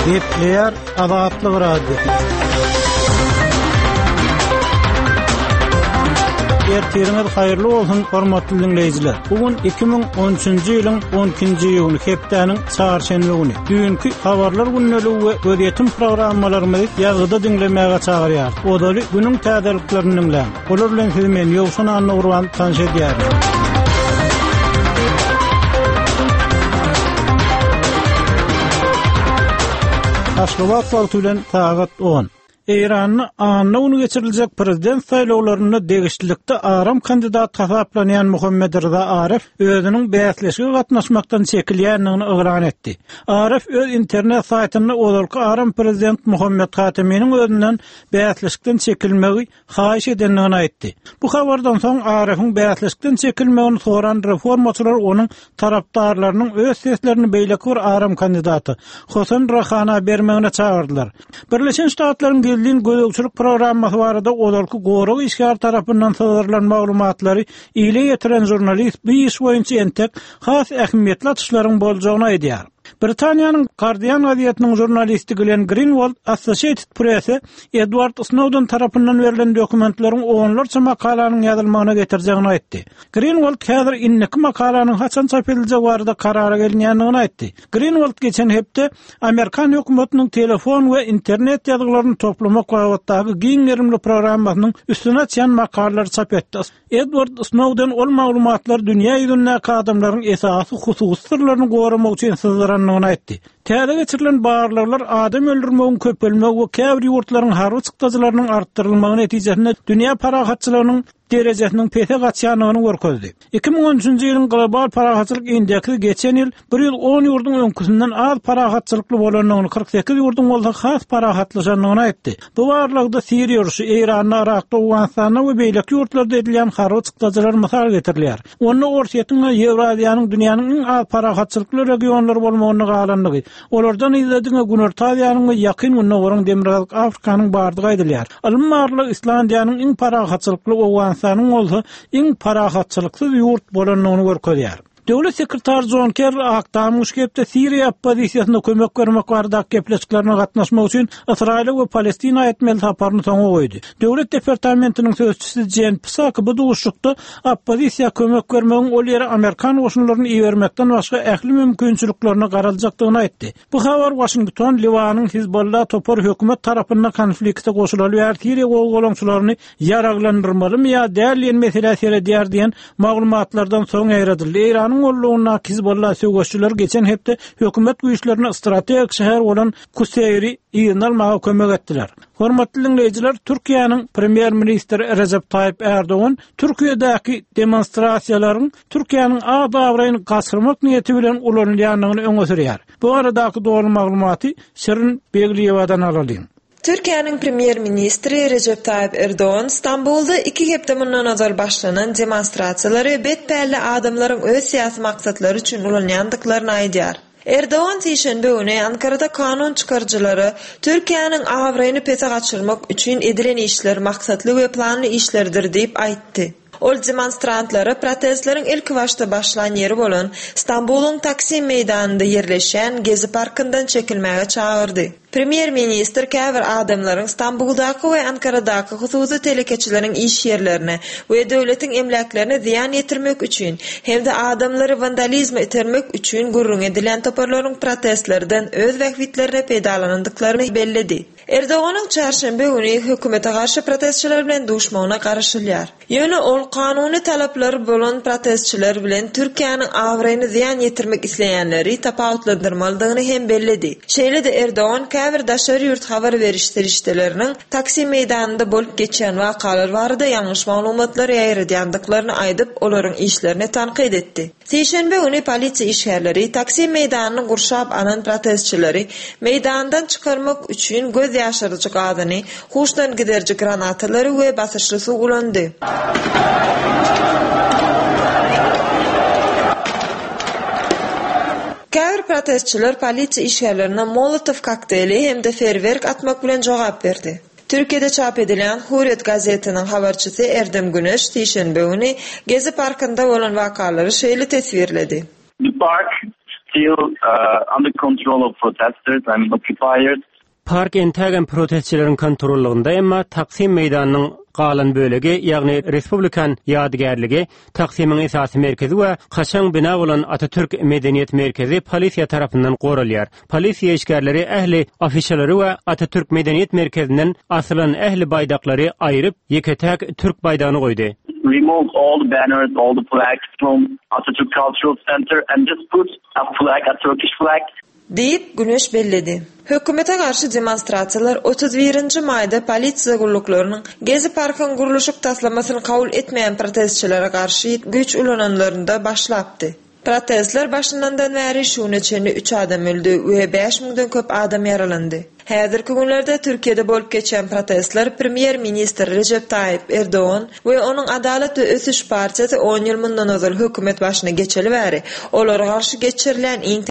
Gepleýär Azatlyk Radiosy. Ertiriňiz haýyrly bolsun, hormatly diňleýjiler. Bu gün 2013-nji ýylyň 12-nji iýuny, hepdäniň çarşenbe güni. Düýnki habarlar gündeligi we gözýetim programmalarymyzy ýazgyda diňlemäge çagyrýarys. Ozaly günüň täzeliklerini diňläň. Olar bilen sizi men Ýowşan Annagurban tanyş edýärin. Aşgabat wagty bilen sagat 10. Eýranda anna güni geçiriljek prezident saýlawlarynda degişlilikde aram kandidat hasaplanýan Muhammed Rza Aref özüniň bäsleşige gatnaşmakdan çekilýändigini yglan etdi. Aref öz internet saýtynda ozalky aram prezident Muhammed Hateminiň özünden bäsleşikden çekilmegi haýyş edendigini aýtdy. Bu habardan soň Arefiň bäsleşikden çekilmegini soran reformaçylar onuň tarapdarlarynyň öz seslerini beýleki bir aram kandidata, Hosen Rahana bermegine çagyrdylar. Birleşen Ştatlaryň gizlin gözegçilik programmasy barada ozalky gorag işgäri tarapyndan syzdyrylan maglumatlary ile ýetiren žurnalist bu iş boýunça entek has ähmiýetli açyşlaryň boljagyny aýdýar. Britaniýanyň Guardian gazetiniň žurnalisti Glenn Grinwald Associated Press-e Edward Snowden tarapyndan berlen dokumentleriň onlarça makalanyň ýazylmagyna getirjegini aýtdy. Grinwald häzir indiki makalanyň haçan çap ediljegi barada karara gelinýändigini aýtdy. Grinwald geçen hepde amerikan hökümetiniň telefon we internet ýazgylaryny toplamak babatdaky giň gerimli programmasynyň üstüni açýan makalalary çap etdi. Edward Snowden ol maglumatlary dünýä ýüzündäki adamlaryň esasy hususy syrlaryny goramak üçin syzdyrandygyny aýtdy. Täze geçirilen barlaglar adam öldürmegiň köpelmegi we käbir ýurtlaryň harby çykdajylarynyň artdyrylmagy netijesinde dünýä parahatçylygynyň derejesiniň pese gaçýandygyny görkezdi. 2013-nji ýylyň Global parahatçylyk indeksi geçen ýyl 110 ýurduň öňküsinden az parahatçylykly bolandygyny, 48 ýurduň bolsa has parahatlaşandygyny aýtdy. Bu barlagda Siriýa urşy, Eýranda, Yrakda, Owganystanda we beýleki ýurtlarda edilýän harby çykdajylar mysal getirilýär. Onda Orsýetiň we Ýewraziýanyň dünýäniň iň az parahatçylykly regionlary bolmagynda galandygy, olardan yzda diňe Günorta Aziýanyň we Ýakyn Gündogaryň, Demirgazyk Afrikanyň bardygy aýdylýar. Ylmy barlag Islandiýanyň iň parahatçylykly, Owganystanyň bolsa iň parahatçylyksyz ýurt bolandygyny görkezýär. Döwlet sekretary Jon Kerri Ak Tamyň şu hepde Siriýa oppozisiýasyna kömek bermek baradaky gepleşiklerine gatnaşmak üçin Ysraýyla we Palestina etmeli saparyny soňa goýdy. Döwlet departamentiniň sözçüsi Jen Psaki bu duşuşykda oppozisiýa kömek bermegiň ol ýere amerikan goşunlaryny ibermekden başga ähli mümkinçiliklerine garaljakdygyny aýtdy. Bu habar Waşington Liwanyň Hizbollah topary hökümet tarapynda konflikte goşulaly bäri siriýa gozgalaňçylaryny ýaraglandyrmalymy ýa däl diýen meselä seredýär diýen maglumatlardan soň ýaýradyldy. Eýranyň gollagyndaky Hizbollah söweşçileri geçen hepde hökümet güýçlerine strategik şäher bolan Kuseýri yzyna almaga kömek etdiler. Hormatly diňleýjiler, Türkiýäniň Premýer-ministri Rejep Taýyp Ärdogan Türkiýedäki demonstrasiýalaryň Türkiýäniň at-abraýyny gaçyrmak niýeti bilen ulanylýandygyny öňe sürýär. Bu baradaky doly maglumaty Şirin Begliýewadan alalyň. Türkiýäniň Premýer-ministri Rejep Taýyp Erdogan Stambulda iki hepde mundan ozal başlanan demonstrasiýalary bet pälli adamlaryň öz syýasy maksatlary üçin ulanýandyklaryny aýdýar. Erdogan sişenbe güni Ankarada kanun çykaryjylara Türkiýäniň abraýyny pese gaçyrmak üçin edilen işler maksatly we planly işlerdir diýip aýtdy. Ol demonstrantlara protestleriň ilkibaşda başlan ýeri bolan Stambulyň Taksim meýdanynda ýerleşýän Gezi parkyndan çekilmäge çagyrdy. Premýer-ministr käbir adamlaryň Stambuldaky we Ankaradaky hususy telekeçileriň iş ýerlerine we döwletiň emläklerine zyýan ýetirmek üçin hem-de adamlary wandalizme itermek üçin gürrüňi edilýän toparlaryň protestlerden öz bähbitlerine peýdalanandyklaryny belledi. Erdoganyň çarşenbe güni hökümete garşy protestçiler bilen duşmagyna garaşylýar. Ýöne ol kanuny talaplary bolan protestçiler bilen Türkiýäniň abraýyny zyýan ýetirmek isleýänleri tapawutlandyrmalydygyny hem belledi. Şeýle-de Erdogan käbir daşary ýurt habar beriş serişdeleriniň Taksim meýdanynda bolup geçýän wakalar barada ýalňyş maglumatlary ýaýradýandyklaryny aýdyp, olaryň işlerini tankyt etdi. Sişenbe güni polisiýa işgärleri Taksim meýdanyny gurşap alan protestçileri meýdandan çykarmak üçin göz ýaşaryjy gazyny, huşdan gideriji granatalary we basyşly suw ulandy. Käbir protestçiler polisiýa işgärlerine molotow kokteýli hem-de feýerwerk atmak bilen jogap berdi. Türkiýede çap edilýän Hürriyet gazetiniň habarçysy Erdem Güneş sişenbe güni Gezi parkynda bolan wakalary şeýle teswirledi. The park. still under control of protesters, I mean occupiers. Park entägem protestçileriň kontrollygynda, emma Taksim meýdanynyň galan bölegi, ýagny Respublikan ýadygärligi, Taksimiň esasy merkezi we kaşaň bina bolan Atatürk medeniýet merkezi polisiýa tarapyndan goralýar. Polisiýa işgärleri ähli afişalary we Atatürk medeniýet merkezinden asylan ähli baýdaklary aýryp, ýeke-täk türk baýdagyny goýdy. Removed all the banners, all the flags from Atatürk Cultural Center and just put a flag, a Turkish flag. Diýip, Güneş belledi. Hökümete garşy demonstrasiýalar 31 nji maýda polisiýa gulluklarynyň Gezi parkyň gurluşyk taslamasyny kabul etmeýän protestçilere garşy güýç ulananlarynda başlapdy. Protestler başlanandan bäri şu güne çenli üç adam öldi we bäş müňden köp adam ýaralandy. Häzirki günlerde Türkiýede bolup geçýän protestler premýer-ministr Rejep Taýyp Erdogan we onuň Adalat we ösüş partiýasy on ýyl mundan ozal hökümet başyna geçeli bäri olara garşy geçirilýän iň.